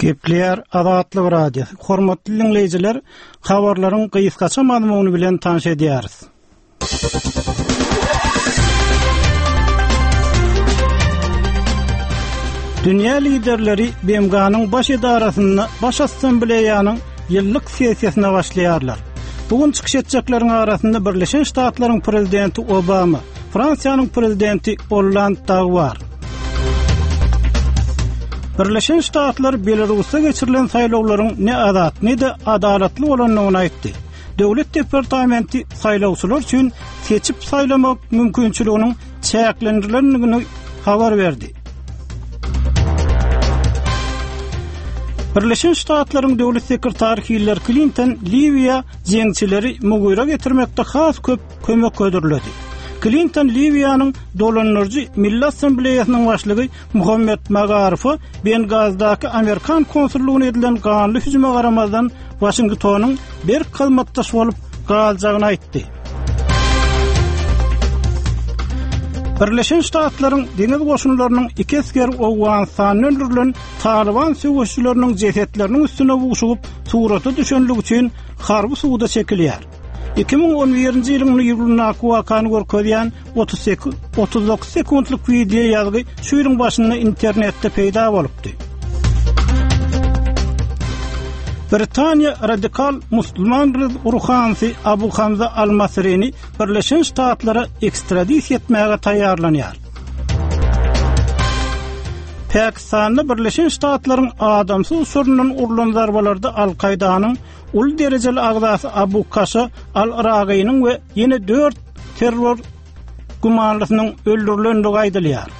Gepleýär Azatlyk Radiosy. Hormatly diňleýjiler, habarlaryň gysgaça mazmuny bilen tanyş edýäris. Dünýä liderleri BMG-niň baş edarasynda Baş Assambleýanyň ýyllyk sessiýasyna başlaýarlar. Bu gün çykyş etjekleriň arasynda Birleşen Ştatlaryň prezidenti Obama, Fransiýanyň prezidenti Olland dagy bar. Birleşen Ştatlar Belarusda geçirilen saýlawlaryň ne azat, ne-de adalatly bolandygyny aýtdy. Döwlet departamenti saýlawçylar üçin seçip saýlamak mümkinçiliginiň çäklendirilendigini habar berdi. Birleşen Ştatlaryň döwlet sekretary Hillari Klinton Liwiýa jeňçileri mugyra getirmekde has köp kömek hödürledi. Klinton Liwiýanyň dolandyryjy Milli Assambleýasynyň başlygy Muhammet Magarowa Bengazdaky amerikan konsullygyna edilen ganly hüjüme garamazdan Waşingtonyň berk hyzmatdaş bolup galjagyny aýtdy. Birleşen Ştatlaryň deňiz goşunlarynyň iki esgeri Owganystanda öldürilen Talyban söweşijileriniň jesetleriniň üstüne buşugyp surata düşenligi üçin harby suda çekilýär. 2011-nji ýylyň iýulyndaky wakany görkezýän 38 39 sekuntlyk wideo ýazgy şu ýylyň başynda internetde peýda bolupdy. Britaniýa radikal musulman ruhanysy Abu Hamza al-Masrini Birleşen Ştatlara ekstradisiýa etmäge taýýarlanýar. Pakistanda Birleşen Ştatlaryň adamsyz uçaryndan urlan zarbalarda Al-Kaýdanyň uly derejeli agzasy Abu Kaşa al-Yragynyň we ýene dört terror gümanlysynyň öldürilendigi aýdylýar.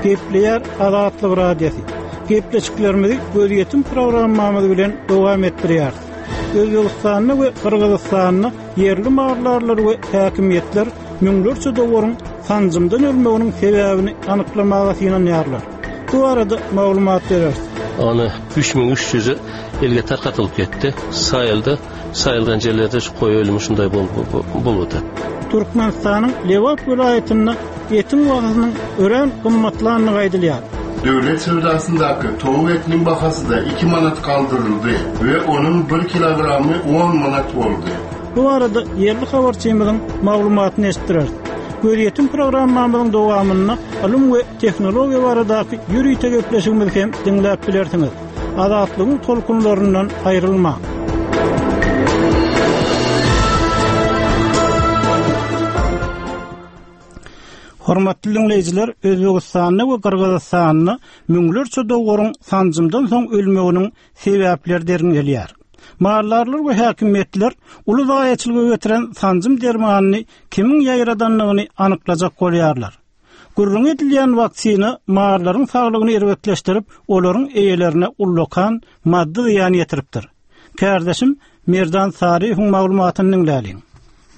Gepleýär Azatlyk Radiosy. Gepleşiklerimizi gözýetim programmamyz bilen dowam etdirýäris. Özbegistanda we Gyrgyzystanda ýerli maldarlar we häkimiýetler müňlerçe dowaryň sanjymdan ölmeginiň sebäbini anyklamaga synanýarlar. Bu barada maglumat bereris. Ony 3300-i elge tarkatylyp ketdi. Saýyldy. Saýylgan jerlerde şu koý ölümi şunday bolup otyr. Türkmenistanyň Lebap welaýatynda etiň bahasynyň örän gymmatlandygy aýdylýar. Döwlet söwdasyndaky towuk etiniň bahasy-da iki manat galdyryldy we onuň bir kilogramy on manat boldy. Bu barada ýerli habarçymyzyň maglumatyny eşitdireris. Gözýetim programmamyzyň dowamynda ylym we tehnologiýa baradaky ýörite gepleşigimizi hem diňläp bilersiňiz. Azatlygyň tolkunlaryndan aýrylmaň! Hormatly diňleýjiler, Özbegistanda we Gyrgyzystanda müňlerçe dowaryň sanjymdan soň ölmeginiň sebäpleri derňelýär. Maldarlar we häkimiýetler uly zaýaçylyga getiren sanjym dermanyny kimiň ýaýradandygyny anyklajak bolýarlar. Gürrüňi edilýän waksina mallaryň saglygyny erbetleşdirip, olaryň eýelerine ullakan maddy zyýan ýetiripdir. Kärdeşim Merdan Saryýewiň maglumatyny diňläliň.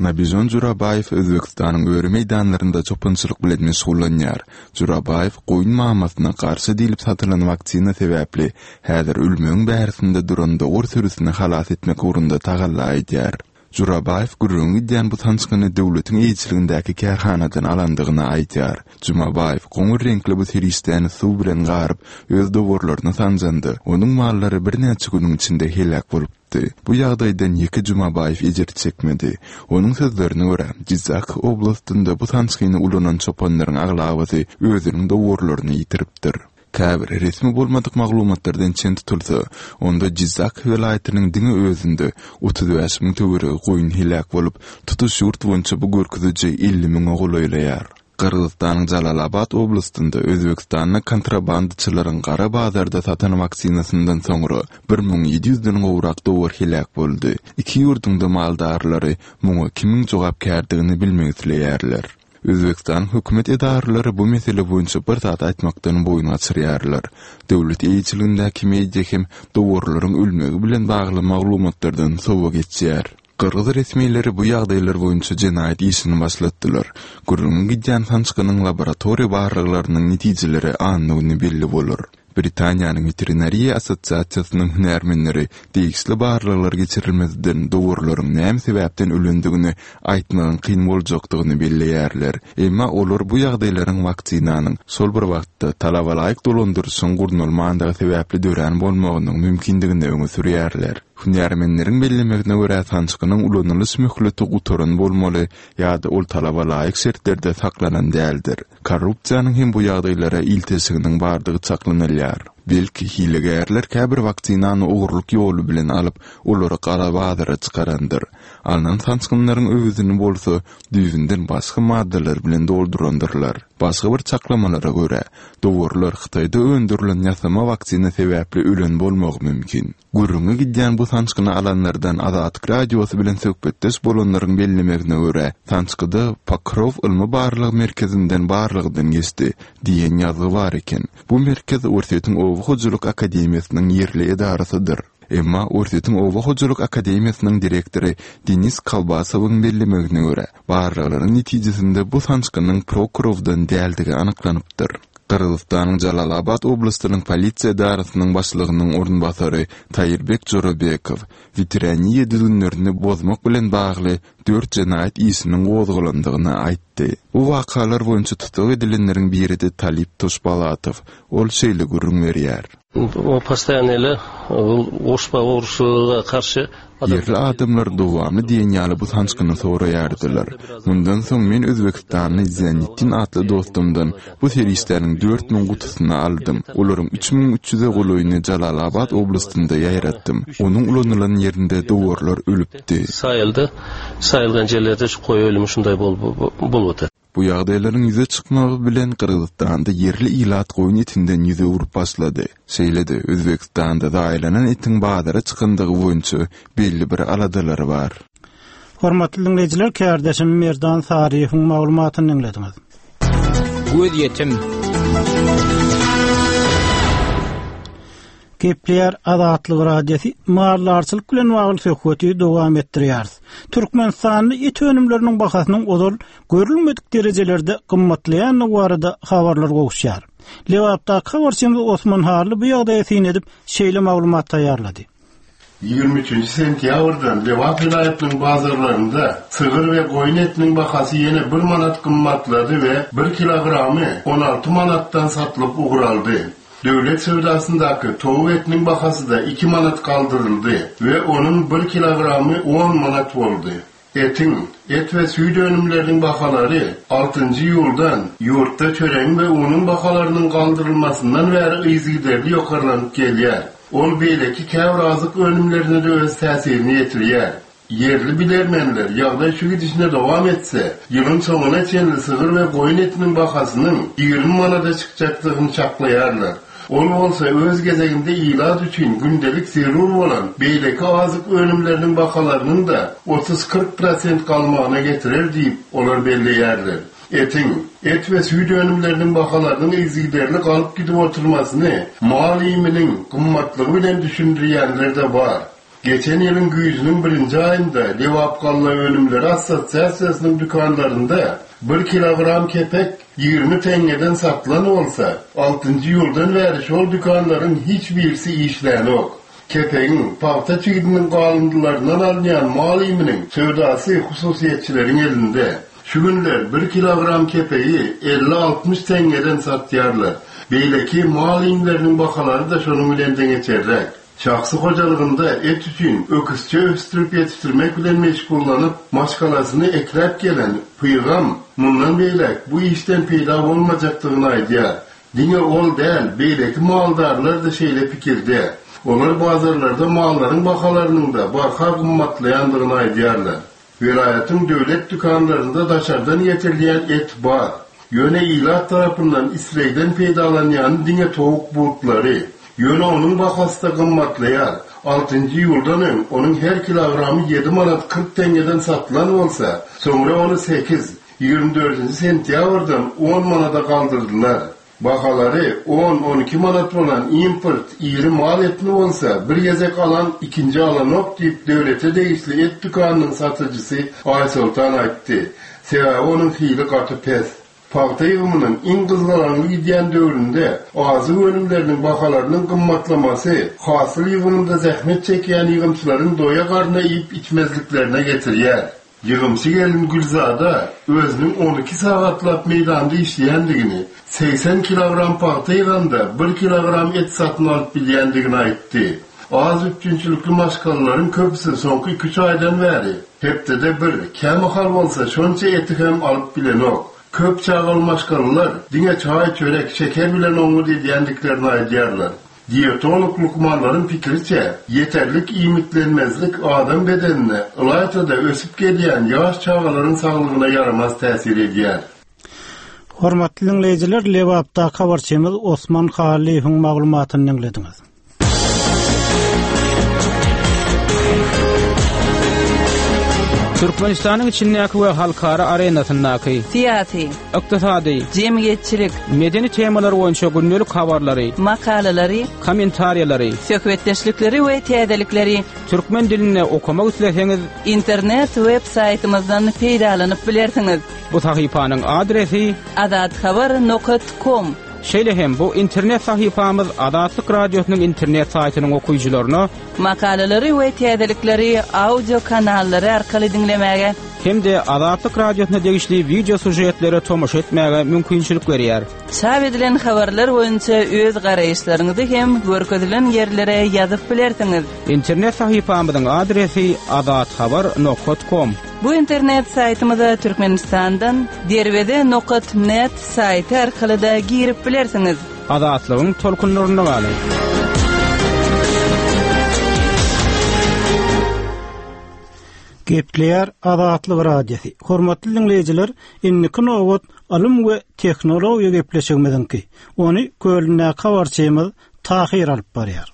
Nabijon Jurabaýew Özbegistanyň öri meýdanlarynda çopançylyk bilen meşgullanýar. Jurabaýew goýun mamasyna garşy diýlip satylan waksina sebäpli häzir ölmegiň bärisinde duran dowar sürüsini halas etmek ugrunda tagalla edýär. Jurabaýew gürrüňi gidýän bu sançgyny döwletiň eýeçiligindäki kärhanadan alandygyny aýdýar. Jumabaýew goňur reňkli bu serişdäni suw bilen garyp, öz dowarlaryna sanjanda, onuň mallary birnäçe günüň içinde heläk bolupdy. Bu ýagdaýdan ýeke Jumabaýew ejir çekmedi. Onuň sözlerine görä, Jyzak oblastynda bu sançgyny ulanan çopanlaryň aglabasy özüniň dowarlaryny ýitiripdir. Käbir resmi bolmadyk maglumatlardan çen tutulsa, onda Jyzak welaýatynyň diňe özünde 35 müň töweregi goýun heläk bolup, tutuş ýurt boýunça bu görkeziji 50 müňe golaýlaýar. Gyrgyzystanyň Jalalabat oblastynda özbegistanly kontrabandaçylaryň gara bazarda satan waksinasyndan soňra 1700 den gowrak dowar heläk boldy. Iki ýurduň-da maldarlary muňa kimiň jogapkärdigini bilmek isleýärler. Özbegistanyň hökümet edaralary bu mesele boýunça bir zat aýtmakdan boýun gaçyrýarlar. Döwlet eýeçiligindäki media hem dowarlaryň ölmegi bilen bagly maglumatlardan sowa geçýär. Gyrgyz resmileri bu ýagdaýlar boýunça jenaýat işini başlatdylar. Gürrüňi gidýän sançgynyň laboratoriýa barlaglarynyň netijeleri anna güni belli bolar. Britaniýanyň Weterinariýa assosiasiýasynyň hünärmenleri degişli barlaglar geçirilmezden dowarlaryň näme sebäpden ölendigini aýtmagyň kyn boljakdygyny belleýärler. Emma olar bu ýagdaýlaryň waksinanyň şol bir wagtda talabalaýyk dolandyryşyň gurnalmandygy sebäpli dörän bolmagynyň mümkindigini öňe sürýärler. Hünärmenleriň bellemegine görä, sançgynyň ulanylyş möhleti gutaran bolmaly ýa-da ol talaba laýyk şertlerde saklanan däldir. Korrupsiýanyň hem bu ýagdaýlara ilteşiginiň bardygy çaklanylýar. Belki, hilegärler käbir waksinany ogurlyk ýoly bilen alyp, olary gara bazara çykarandyr. Alnan sançgynlaryň öwezini bolsa, düýbünden başga maddalar bilen doldurandyrlar. Başga bir çaklamalara görä, dowarlar Hytaýda öndürilen ýasama waksina sebäpli ölen bolmagy mümkin. Gürrüňi gidýän bu sançgyny alanlardan Azatlyk Radiosy bilen söhbetdeş bolanlaryň bellemegine görä, sançgyda Pokrow ylmy-barlag merkezinden barlagdan geçdi diýen ýazgy bar eken. Bu merkez Orsýetiň Oba hojalyk akademiýasynyň ýerli edarasydyr. Emma Orsýetiň Oba hojalyk akademiýasynyň direktory Denis Kolbasowyň bellemegine görä, barlaglaryň netijesinde bu sançgynyň Prokurowdan däldigi anyklanypdyr. Gyrgyzystanyň Jalalabat oblastynyň polisiýa edarasynyň başlygynyň orunbasary Taýyrbek Jorabekow weteraniýa düzgünlerini bozmak bilen bagly dört jenaýat işiniň gozgalandygyny aýtdy. Bu wakalar boýunça tussag edilenleriň biri-de Talip Toşbalatow. Ol şeýle gürrüň berýär. O postoýanno ele goşba ogurçylyga garşy Ýerli adamlar dowamly diýen ýaly bu sançgyny soraýardylar. Mundan soň men özbekistanly Ziýanetdin atly dostumdan bu serişdäniň 4000 gutusyny aldym. Olaryň 3300-e golaýyny Jalalabat oblastynda ýaýratdym. Onuň ulanylan ýerinde dowarlar ölüpdi. Saýyldy. Saýylgan ýerlerde şu goýy ölümi şundaý bolup otyr. Bu ýagdaýlaryň ýüze çykmagy bilen Gyrgyzystanda ýerli ilat goýun etinden ýüz öwrüp başlady. Şeýle-de, Özbegistanda zaýalanan etiň bazara çykandygy boýunça belli bir aladalar bar. Hormatly diňleýjiler, kärdeşim Merdan Saryýewiň maglumatyny diňlediňiz. Gözýetim. Gepleýär Azatlyk Radiosy, Maldarçylyk bilen bagly söhbeti dowam etdirýäris. Türkmenistanda et önümleriniň bahasynyň ozal görülmedik derejelerde gymmatlaýandygy barada habarlar gowuşýar. Lebapdaky habarçymyz Osman Hally bu ýagdaýa syn edip, şeýle maglumat taýýarlady. 23 sentýabrdan Lebap welaýatynyň bazarlarynda sygyr we goýun etiniň bahasy ýene bir manat gymmatlady we bir kilogramy 16 manatdan satylyp ugraldy. Döwlet söwdasyndaky towuk etiniň bahasy-da iki manat galdyryldy we onuň bir kilogramy on manat boldy. Etiň, et we süýt önümleriniň bahalary altynjy iýuldan, ýurtda çöregiň we unuň bahalarynyň galdyrylmasyndan bäri yzygiderli ýokarlanyp gelýär. Ol beýleki käbir azyk önümlerine-de öz täsirini ýetirýär. Ýerli bilermenler ýagdaý şu gidişine dowam etse, ýylyň soňuna çenli sygyr we goýun etiniň bahasynyň 20 manada çykjakdygyny çaklaýarlar. Ol bolsa öz gezeginde ilat üçin gündelik zerur bolan beýleki azyk önümleriniň bahalarynyň-da otuz-kyrk prosent galmagyna getirer diýip, olar belleýärler. Etiň, et we süýt önümleriniň bahalarynyň yzygiderli galyp gidip oturmasyny mal iýminiň gymmatlygy bilen düşündirýänler-de bar. Geçen ýylyň güýzüniň birinji aýynda Lebapgallaönümleri assosiasiýasynyň dükanlarynda bir kilogram kepek 20 teňňeden satylan bolsa, altynjy iýuldan bäri şol dükanlaryň hiç birisi işlänok. Kepegiň, pagta çigidiniň galyndylaryndan alynýan mal iýminiň söwdasy hususyýetçileriň elinde. Şu günler bir kilogram kepegi elli-altmyş teňňeden satýarlar. Beýleki mal iýmleriniň bahalary-da şonuň bilen deňeçerräk. Şahsy hojalygynda et üçin öküzçe ösdürip ýetişdirmek bilen meşgullanyp, maşgalasyny ekläp gelen Pygam mundan beýläk bu işden peýda bolmajakdygyny aýdýar. Diňe ol däl, beýleki maldarlar-da şeýle pikirde. Olar bazarlarda mallaryň bahalarynyň-da barha gymmatlaýandygyny aýdýarlar. Welaýatyň döwlet dükanlarynda daşardan getirilýän et bar. Ýöne ilat tarapyndan islegden peýdalanýany diňe towuk butlary. Ýöne onuň bahasy-da gymmatlaýar. Altynjy iýuldan öň onuň her kilogramy ýedi manat 40 teňňeden satylan bolsa, soňra ony sekiz, 24 sentýabrdan on manada galdyrdylar. Bahalary on, 12 manat bolan import iri mal etini bolsa bir gezek alan ikinji alanok diýip, döwlete degişli et dükanynyň satyjysy Aýsoltan aýtdy. Sebäbi onuň hili gaty pes. Pagta ýygymynyň iň gyzgalaňly gidýän döwründe azyk önümleriniň bahalarynyň gymmatlamasy hasyl ýygymynda zähmet çekýän ýygymçylaryň doýa garna iýip-içmezliklerine getirýär. Ýygymçy gelin Gülzada özüniň 12 sagatlap meýdanda işleýändigini, 80 kilogram pagta ýyganda bir kilogram et satyn alyp bilýändigini aýtdy. Az üpjünçilikli maşgalalaryň köpüsi soňky iki-üç aýdan bäri hepdede bir, kämahal bolsa şonça eti hem alyp bilenok. Köp çagaly maşgalalar diňe çaý-çörek, şeker bilen oňňut edýändiklerini aýdýarlar. Dietolog lukmanlaryň pikiriçe, ýeterlik iýmitlenmezlik adam bedenine, ylaýta-da ösüp gelýän ýaş çagalaryň saglygyna ýaramaz täsir edýär. Hormatly diňleýjiler, Lebapdaky habarçymyz Osman Hallyýewiň maglumatyny diňlediňiz. Türkmenistanyň içindäki we halkara arenasyndaky syýasy, ykdysady, jemgyýetçilik, medeni temalar boýunça gündelik habarlary, makalalary, kommentariýalary, söhbetdeşlikleri we täzelikleri türkmen dilinde okamak isleseňiz, internet web saýtymyzdan peýdalanyp bilersiňiz. Bu sahypanyň adresi: azathabar nokat kom. Şeýle hem bu internet sahypamyz Azatlyk Radiosynyň internet saýtynyň okyjylaryna Makalalary we täzelikleri audio kanallary arkaly diňlemäge hem-de Azatlyk Radiosyna degişli wideo sýužetlere tomaşa etmäge mümkinçilik berýär. Çap edilen habarlar boýunça öz garaýyşlaryňyzy hem görkezilen ýerlere ýazyp bilersiňiz. Internet sahypamyzyň adresi azathabar nokat kom. Bu internet saýtymyza Türkmenistandan Derweze nokat net saýty arkaly-da girip bilersiňiz. Azatlygyň tolkunlarynda galyň! Gepleýär Azatlyk Radiosy. Hormatly diňleýjiler, indiki nobat ylym we tehnologiýa gepleşigimiziňki. Ony Kölündäki habarçymyz Tahyr alyp barýar.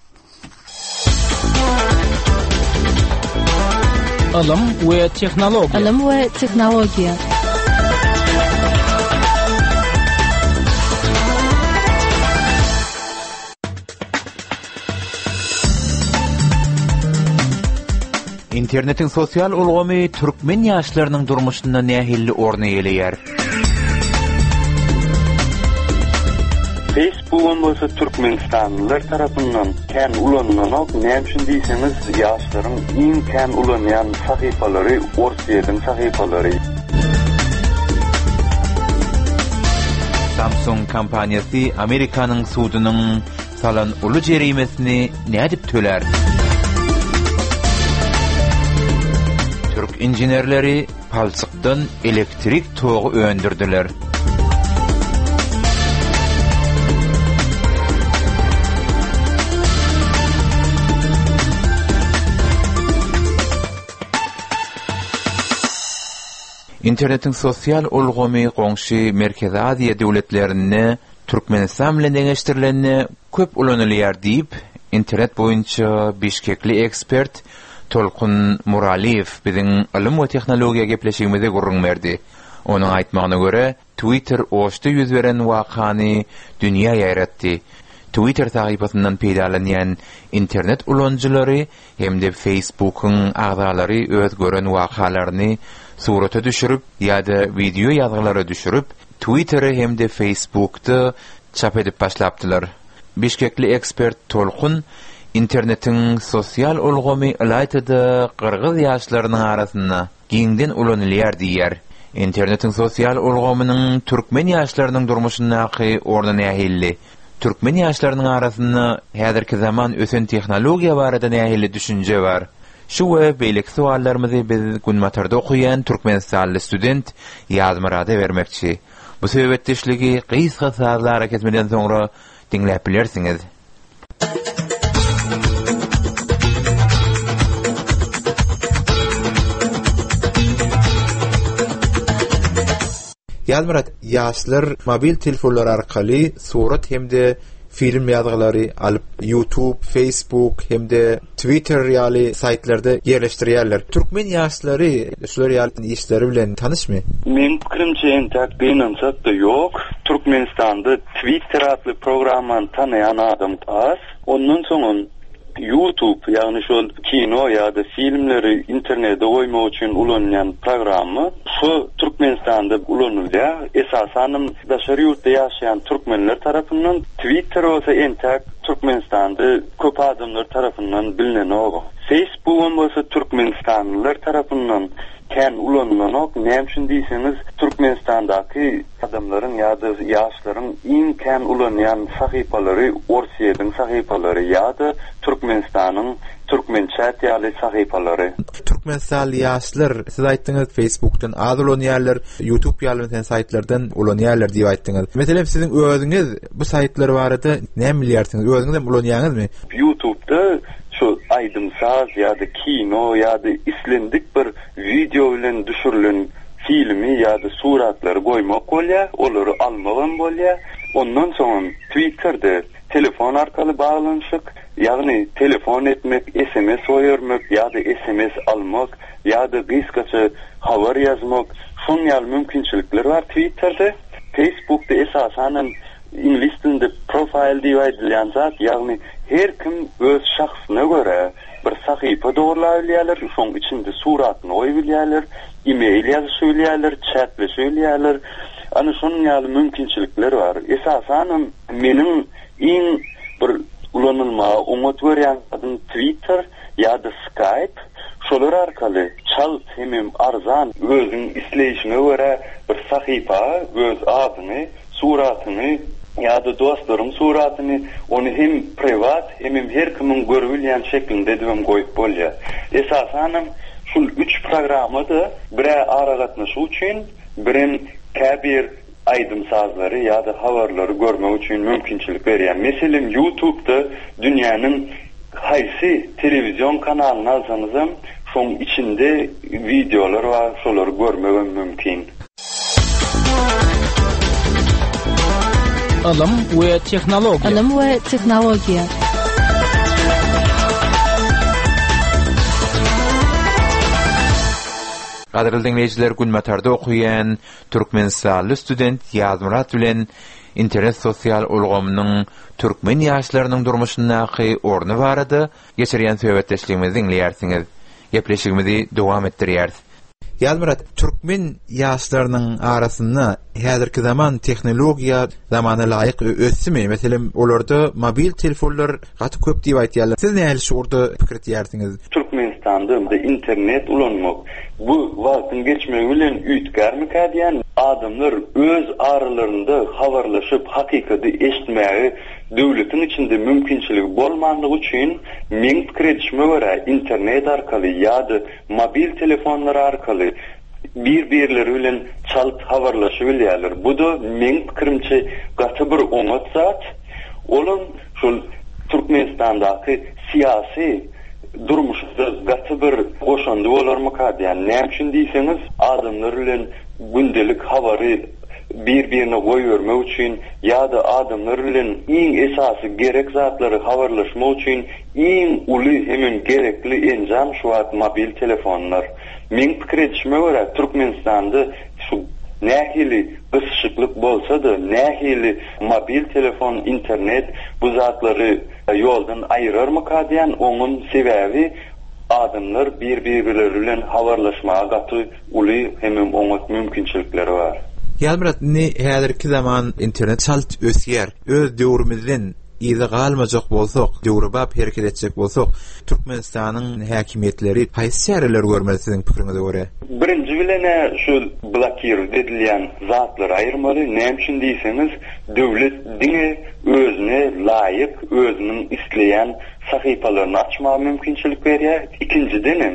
Ylym we tehnologiýa. Ylym we tehnologiýa. Internetiň sosial ulgamy türkmen ýaşlarynyň durmuşynda nähili orun eýeleýär? Facebookam bolsa türkmenistanlylar tarapyndan kän ulanylanok, näme üçin diýseňiz ýaşlaryň iň kän ulanýan sahypalary Orsýetiň sahypalary. Samsung kompaniýasy Amerikanyň sudunyň salan uly jerimesini nädip tölär? Türk inženerleri palçykdan elektrik togy öndürdiler. Internetiň sosial ulgamy goňşy Merkezi Aziýa döwletlerinde Türkmenistan bilen deňeşdirilende köp ulanylýar diýip, internet boýunça bişkekli ekspert Tolkun Muralyýew biziň Ylym we tehnologiýa gepleşigimizde gürrüň berdi. Onuň aýtmagyna görä, Twitter Oşda ýüz beren wakany dünýä ýaýratdy. Twitter sahypasyndan peýdalanýan internet ulanyjylary hem-de Facebook-yň agzalary öz gören wakalaryny surata düşürip ýa-da wideo ýazgylara düşürip, Twittere hem-de Facebookda çap edip başlapdylar. Bişkekli ekspert Tolkun internetiň sosial ulgamy ylaýta-da gyrgyz ýaşlarynyň arasynda giňden ulanylýar diýýär. Internetiň sosial ulgamynyň türkmen ýaşlarynyň durmuşyndaky orny nähilli? Türkmen ýaşlarynyň arasynda häzirki zaman ösen tehnologiýa barada nähili düşünje bar? Şu we beýleki sowallarymyzy biz Günbatarda okaýan türkmenistanly student Ýazmyrada bermekçi. Bu söhbetdeşligi gysga sazly arakesmeden soňra diňläp bilersiňiz. Ýazmyrat, ýaşlar mobil telefonlary arkaly surat hem-de. film ýazgylary alyp YouTube, Facebook hem-de Twitter ýaly saýtlarda ýerleşdirýärler. Türkmen ýaşlary şular ýaly işleri bilen tanyşmy? Meň pikirimçe entäk gynansak-da ýok. Türkmenistanda Twitter atly programmany tanaýan adam az. Ondan soňam Youtube, ýagny şol kino ýa-da filmleri internete goýmak üçin ulanylýan programma şo Türkmenistanda ulanylýar. Esasanam daşary ýurtda ýaşaýan türkmenler tarapyndan. Twitter bolsa entäk Türkmenistanda köp adamlar tarapyndan bilnenok. Facebookam bolsa türkmenistanlylar tarapyndan kän ulanylanok. Näme üçin diýseňiz, Türkmenistandaky adamlaryň ýa-da ýaşlaryň iň kän ulanýan sahypalary Orsýetiň sahypalary ýa-da Türkmenistanyň Türkmençat ýaly sahypalary. Türkmenistanly ýaşlar, siz aýtdyňyz, Facebookdan az ulanýarlar, YouTube ýaly meselem saýtlardan ulanýarlar diýip aýtdyňyz. Meselem siziň özüňiz bu saýtlar barada näme bilýärsiňiz? Özüňiz hem ulanýaňyzmy? YouTubeda şu aýdym-saz ýa-da kino ýa-da islendik bir wideo bilen düşürilen filmi ýa-da suratlary goýmak bolýar, olary almagam bolýar. Ondan soňam Twitterde telefon arkaly baglanyşyk, ýagny telefon etmek, sms goýbermek ýa-da sms almak ýa-da gysgaça habar ýazmak, şonuň ýaly mümkinçilikler bar Twitterde. Facebookda esasanam iňlis dilinde profile diýip aýdylýan zat, ýagny her kim öz şahsyna görä bir sahypa dogurlabilýärler, şoň içinde suratyny goýubilýärler, e-mail ýazyşybilýärler, çätleşibilýärler. Ana şonuň ýaly mümkinçilikler bar. Esasanam meniň iň bir ulanylmaga oňat görýän zadym Twitter ýa-da Skype. Şolar arkaly çalt hemem arzan özüň isleýşiňe görä bir sahypa öz adyňy Suratyňy ýa-da dostlaryň suratyny, ony hem priwat, hemem her kimiň görübilýän şeklinde edibem goýup bolýar. Esasanam şul üç programma-da bir-ä aragatnaşyk üçin, birem käbir aýdym-sazlary ýa-da habarlary görmek üçin mümkinçilik berýär. Meselem, YouTube-da dünýäniň haýsy telewizion kanalyny alsaňyzam, şoň içinde wideolar bar, şolary görmegem mümkin. Ylym we tehnologiýa. Ylym we tehnologiýa. Gadyrly diňleýjiler, Günbatarda okaýan türkmenistanly student Ýazmyrat bilen internet sosial ulgamynyň türkmen ýaşlarynyň durmuşyndaky orny barada geçirýän söhbetdeşligimizi diňleýärsiňiz. Gepleşigimizi dowam etdirýäris. Ýazmyrat, türkmen ýaşlarynyň arasynda häzirki zaman tehnologiýa zamana laýyk ösdümi? Meselem, olarda mobil telefonlar gaty köp diýip aýtýarlar. Siz nähili şu ugurda pikir etýärsiňiz? Türkmenistanda internet ulanmak bu wagtyň geçmegi bilen üýtgärmikä diýýän. Adamlar öz aralarynda habarlaşyp, hakykady eşitmäge döwletiň içinde mümkinçiligi bolmanlygy üçin, meň pikir edişime görä, internet arkaly ýa-da mobil telefonlar arkaly bir-birleri bilen çalt habarlaşybilýärler. Bu-da meň pikirimçe gaty bir oňat zat. Olam şol Türkmenistandaky syýasy durmuşda gaty bir goşandy bolarmyka diýýän. Näme üçin diýseňiz, adamlar bilen gündelik habary bir-birine goýbermek üçin ýa-da adamlar bilen iň esasy gerek zatlary habarlaşmak üçin Iň uly hemem gerekli enjam şu wagt mobil telefonlar. Meň pikir edişime görä Türkmenistanda şu nähili gysyşyklyk bolsa-da nähili mobil telefon internet bu zatlary ýoldan aýyrarmyka diýän oňam sebäbi adamlar bir birleri bilen habarlaşmaga gaty uly hemem oňat mümkinçilikleri bar. Ýazmyrat indi häzirki zaman internet çalt ösýär. Öz döwrümizden Yza galmajak bolsak, döwrebap hereket etjek bolsak, Türkmenistanyň häkimiýetleri haýsy çäreleri görmeli siziň pikiriňize görä? Birinji bilen-ä şu blokirowat edilýän zatlary aýyrmaly. Näme üçin diýseňiz, döwlet diňe özüne laýyk, özüniň isleýän sahypalaryny açmaga mümkinçilik berýär. Ikinjidenem,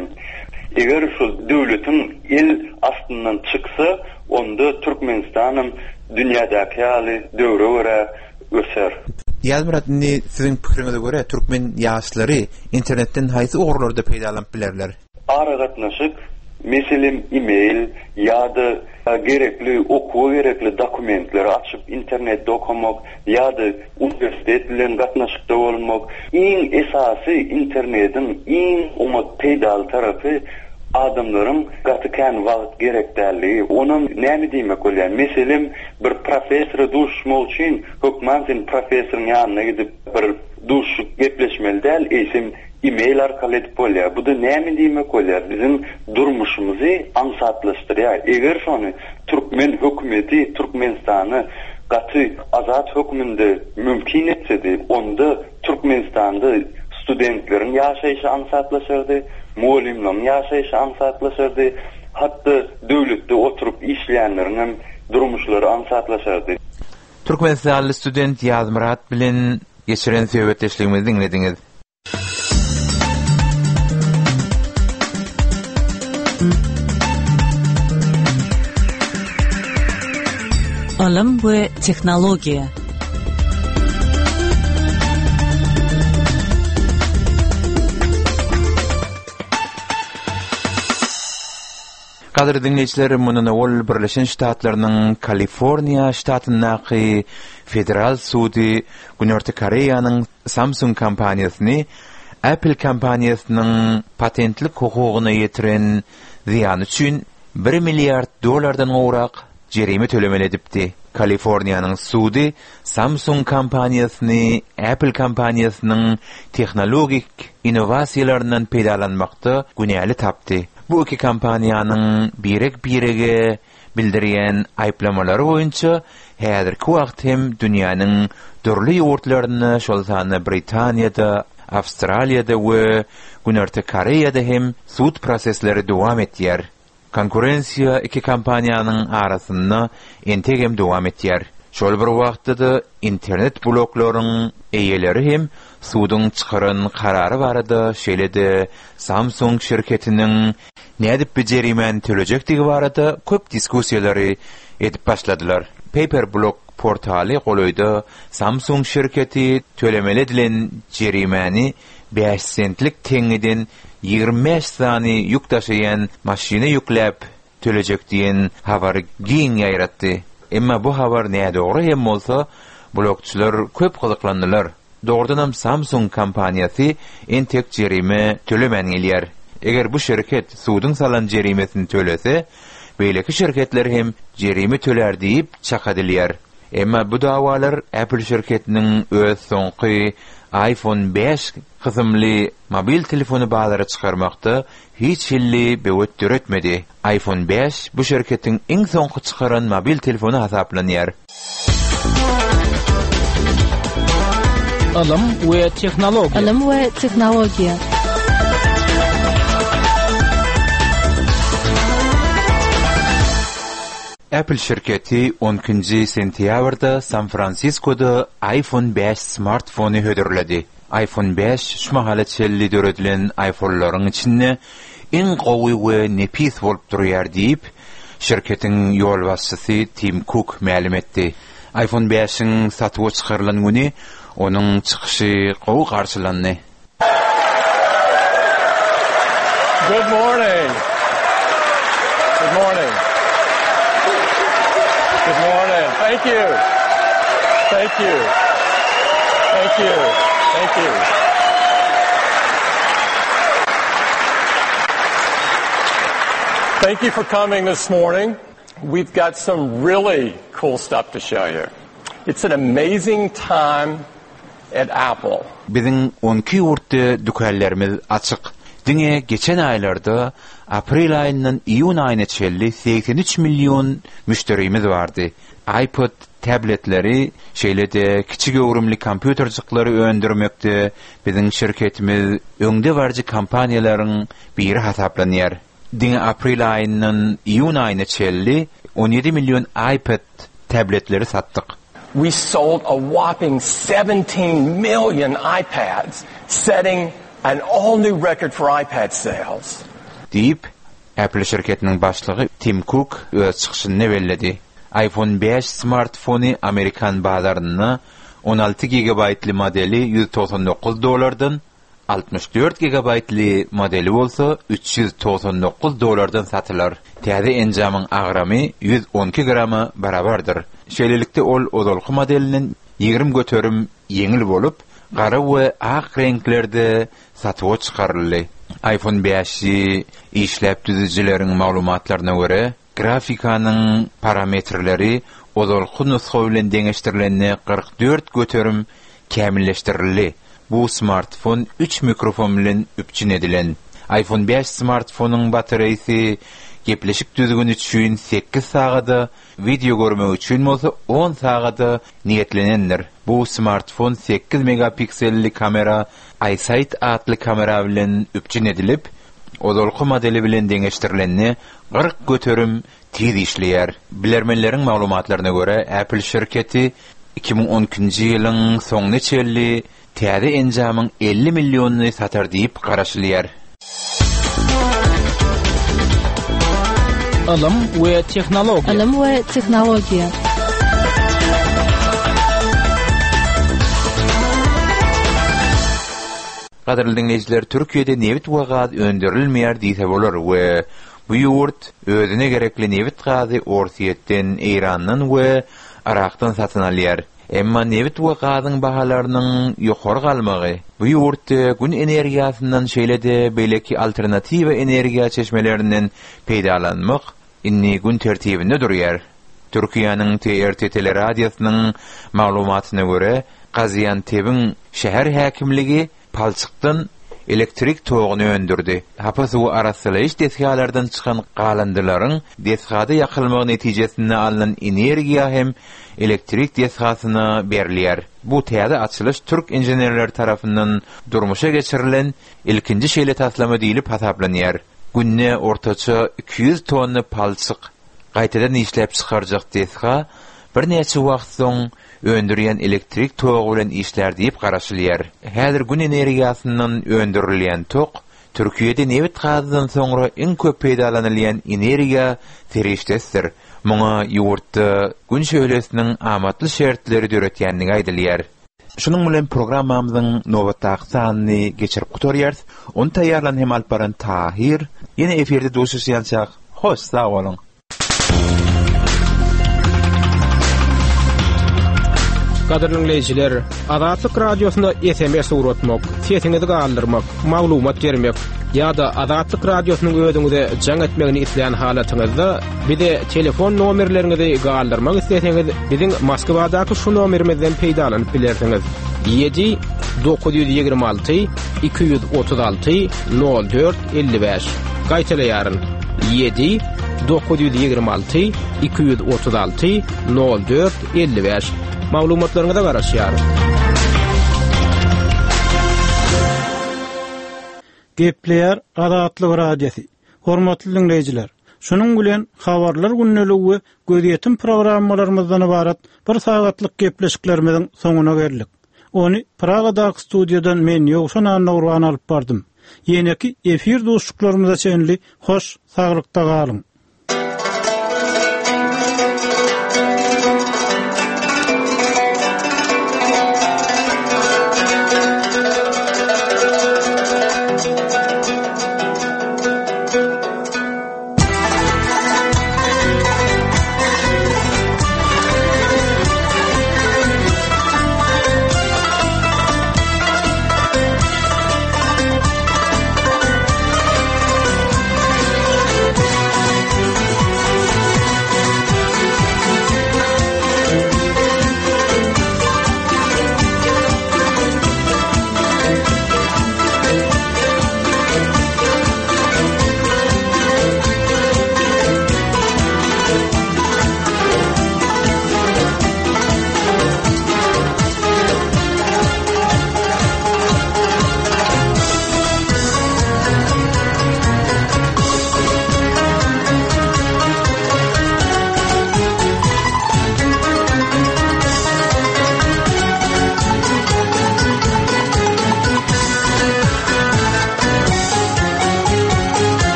eger şu döwletiň el astyndan çyksa, onda Türkmenistanam dünýädäki ýaly döwre görä öser. Ýazmyrat indi siziň pikiriňize görä türkmen ýaşlary internetden haýsy ugurlarda peýdalanyp bilerler? Aragatnaşyk, meselem email ýa-da Gerekli okuwa gerekli dokumentleri açyp internetde okamak ýa-da uniwersitet bilen gatnaşykda bolmak. Iň esasy internediň iň oňat peýdaly tarapy adamlaryň gaty kän wagt gerek dälligi. Onam näme diýmek bolýar? Meselem, bir professora duşuşmak üçin hökman sen professoryň ýanyna gidip bir duşuşyp gepleşmeli däl, eýsem e-mail arkaly edip bolýar. Bu-da näme diýmek bolýar? Biziň durmuşymyzy aňsatlaşdyrýar. Eger şony türkmen hökümeti Türkmenistany gaty azat hökmünde mümkin etsedi, onda Türkmenistanda studentleriň ýaşaýşy aňsatlaşardy, mugallymlaryň ýaşaýşy aňsatlaşardy, hat-da döwletde oturyp işleýänleriň hem durmuşlary aňsatlaşardy. Türkmenistanly student Ýazmyrat bilen geçiren söhbetdeşligimizi diňlediňiz. Ylym we tehnologiýa. Gadyrly diňleýjiler, mundan owal Birleşen Ştatlarynyň Kaliforniýa ştatyndaky federal sudy Günorta Koreýanyň Samsung kompaniýasyny Apple kompaniýasynyň patentlik hukugyna ýetiren zyýany üçin bir milliard dollardan gowrak jerime tölemeli edipdi. Kaliforniýanyň sudy Samsung kompaniýasyny Apple kompaniýasynyň tehnologik innowasiýalaryndan peýdalanmakda günäli tapdy. Bu iki kompaniýanyň birek-birege bildirýän aýyplamalary boýunça häzirki wagt hem dünýäniň dürli ýurtlarynda, şol sanda Britaniýada, Awstraliýada we Günorta Koreýada hem sud prosesleri dowam etýär. Konkurensiýa iki kompaniýanyň arasynda entegem dowam etýär. Şol bir wagtda-da internet bloklaryň eýeleri hem suduň çykaran karary barada, şeýle-de Samsung şirketiniň nädip bu jerimäni tölejekdigi barada köp diskussiýalary edip başladylar. Paperblog portaly golaýda Samsung şirketi tölemeli edilen jerimäni bäş sentlik teňňeden 25 sany ýük daşaýan maşyna ýükläp tölejek diýen habary giň ýaýratdy. Emma bu habar nädogry hem bolsa, blogçylar köp gyzyklandylar. Dogrudanam Samsung kompaniýasy entek jerime tölemän gelýär. Eger bu şirket suduň salan jerimesini tölese, beýleki şirketler hem jerime tölär diýip çak edilýär. Emma bu dawalar Apple şirketiniň öz soňky iPhone bäş kysymly mobil telefony bazara çykarmakda hiç hilli böwet döretmedi. iPhone bäş bu şirketiň iň soňky çykaran mobil telefony hasaplanýar. Ylym we tehnologiýa. Ylym we tehnologiýa. Apple şirketi on ikinji sentýabrda San-Fransiskoda iPhone bäş smartfony hödürledi. iPhone bäş şu mahala çenli döredilen iPhone-laryň içinde iň gowy we nepis bolup durýar diýip, şirketiň ýolbaşçysy Tim Kuk mälim etdi. iPhone bäşiň satuwa çykarylan güni onuň çykyşy gowy garşylandy. Good morning. Good morning. Good morning. Thank you. Thank you. Thank you. Thank you. Thank you for coming this morning. We've got some really cool stuff to show you. It's an amazing time at Apple. Biziň 12 ýurtda dükanlarymyz açyk. Diňe geçen aýlarda, aprel aýyndan iýun aýyna çenli 83 million müşderimiz bardy. iPod tabletleri, şeýle-de kiçi göwrümli kompýuterjikleri öndürmekde biziň şirketimiz öňdebaryjy kompaniýalaryň biri hasaplanýar. Diňe aprel aýyndan iýun aýyna çenli 17 million iPad tabletleri satdyk. We sold a whopping 17 million iPads, setting an all-new record for iPad sales. Diýip, Apple şirketiniň başlygy Tim Kuk öz çykyşynda belledi. iPhone bäş smartfony amerikan bazarynda 16 gigabaýtly modeli 199 dollardan, 64 gigabaýtly modeli bolsa 399 dollardan satylar. Täze enjamyň agramy 112 grama barabardyr. Şeýlelikde, ol ozalky modelinden 20% ýeňil bolup, gara we ak reňklerde satuwa çykaryldy. iPhone bäşi işläp düzüjileriň maglumatlaryna görä, grafikanyň parametrleri ozalky nusga bilen deňeşdirilende 44% kämilleşdirildi. Bu smartfon üç mikrofon bilen üpjün edilen. iPhone bäş smartfonyň batareýasy gepleşik düzgüni üçin sekiz sagada, wideo görmek üçin bolsa on sagada niýetlenendir. Bu smartfon sekiz megapikselli kamera iSight atly kamera bilen üpjün edilip, ozalky modeli bilen deňeşdirilende 40% tiz işleýär. Bilermenleriň maglumatlaryna görä, Apple şirketi 2012-nji ýylyň soňuna çenli täze enjamyň 50 millionyny satar diýip garaşylýar. Ylym we tehnologiýa. Ylym we tehnologiýa. Gadyrly diňleýjiler, Türkiýede nebit we gaz öndürilmeýär diýse bolar we bu ýurt özüne gerekli nebit-gazy Orsýetden, Eýrandan we Yrakdan satyn alýar. Emma nebit we gazyň bahalarynyň ýokary galmagy bu ýurtda Gün energiýasyndan şeýle-de beýleki alternatiwa energiýa çeşmelerinden peýdalanmak indi gün tertibinde durýar. Türkiýäniň TRT teleradiosynyň maglumatyna görä, Gaziantebiň şäher häkimligi palçykdan elektrik toguny öndürdi. Hapa suwy arassalaýyş desgalardan çykan galyndylaryň desgada ýakylmagy netijesinde alnan energiýa hem elektrik desgasyna berilýär. Bu täze açylyş türk inženerleri tarapyndan durmuşa geçirilen ilkinji şeýle taslama diýlip hasaplanýar. Günde ortaça 200 tonna palçyk gaýtadan işläp çykarjak desga birnäçe wagt soň öndürýän elektrik togy bilen işlär diýip garaşylýar. Häzir Gün energiýasyndan öndürilýän tok Türkiýede nebit-gazdan soňra iň köp peýdalanylýan energiýa serişdesidir. Muňa ýurtda Gün şöhlesiniň amatly şertleri döretýändigi aýdylýar. Şunuň bilen programmamyzyň nobatdaky sanyny geçirip gutarýarys. Ony taýýarlan hem alyp baran Tahyr. Ýene efirde duşuşýançak, hoş sag boluň! Gadyrly diňleýjiler, Azatlyk Radiosyna SMS ugratmak, sesiňizi galdyrmak, maglumat bermek ýa-da Azatlyk Radiosynyň özüňize jaň etmegini islän halatyňyzda bize telefon nomerleriňizi galdyrmak isleseňiz, biziň Moskwadaky şu nomerimizden peýdalanyp bilersiňiz. 7 926 236 04 55. Gaýtalaýaryn. 7 926 236 04 55. Maglumatlaryňyza garaşýarys. Gepleýär Azatlyk Radiosy. Hormatly diňleýjiler, şunuň bilen Habarlar gündeligi we Gözýetim programmalarymyzdan ybarat bir sagatlyk gepleşiklerimiziň soňuna geldik. Ony Pragadaky studiýadan men Ýowşan Annagurban alyp bardym. Ýeneki efir duşuşyklarymyza çenli hoş saglykda galyň!